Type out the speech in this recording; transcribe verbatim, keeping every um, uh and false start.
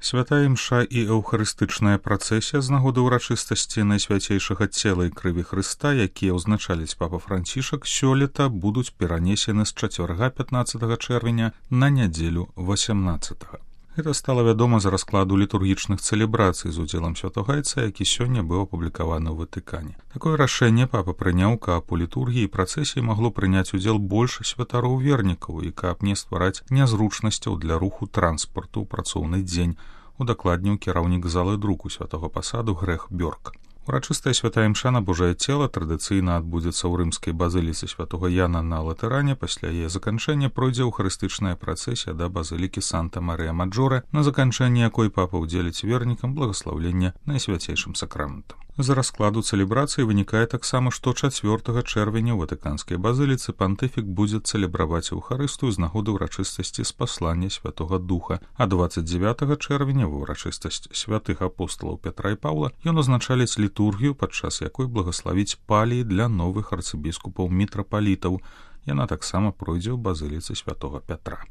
Святая імша і эўхарыстычная працэсія з нагоды ўрачыстасці найсвяцейшага цела і крыві Хрыста, якія ўзначаліць папа Францішак, сёлета будуць перанесены з чацвярга пятнаццатага чэрвеня на нядзелю васямнаццатага. Гэта стала вядома з раскладу літургічных цэлебрацый з удзелам святогайца, які сёння быў апублікаваны ў Ватыкане. Такое рашэнне папа прыняў, каб у літургіі і працэсіі магло прыняць удзел больш святароў-вернікаў і каб не ствараць нязручнасцяў для руху транспарту ў працоўны дзень, удакладніў кіраўнік залы друку святого пасаду Грэх Бёрк. Урачыстая святая імша на Божае цела традыцыйна адбудзецца ў рымскай базыліцы святого Яна на Латэране, пасля яе заканчэння пройдзе эўхарыстычная працэсія да базылікі Санта-Марыя-Маджоре, на заканчэнні якой папа ўдзеліць вернікам благаслаўлення найсвяцейшым сакраментам. З раскладу цэлебрацыі вынікае таксама, што чацвёртага чэрвеня ў Ватыканскай базыліцы пантыфік будзе цэлебраваць эўхарыстыю з нагоды ўрачыстасці спаслання Святога Духа, а дваццаць дзявятага чэрвеня ва ўрачыстасць святых апосталаў Пятра і Паўла ён узначаліць літургію, падчас якой благаславіць паліі для новых арцыбіскупаў-мітрапалітаў. Яна таксама пройдзе ў базыліцы святога Пятра.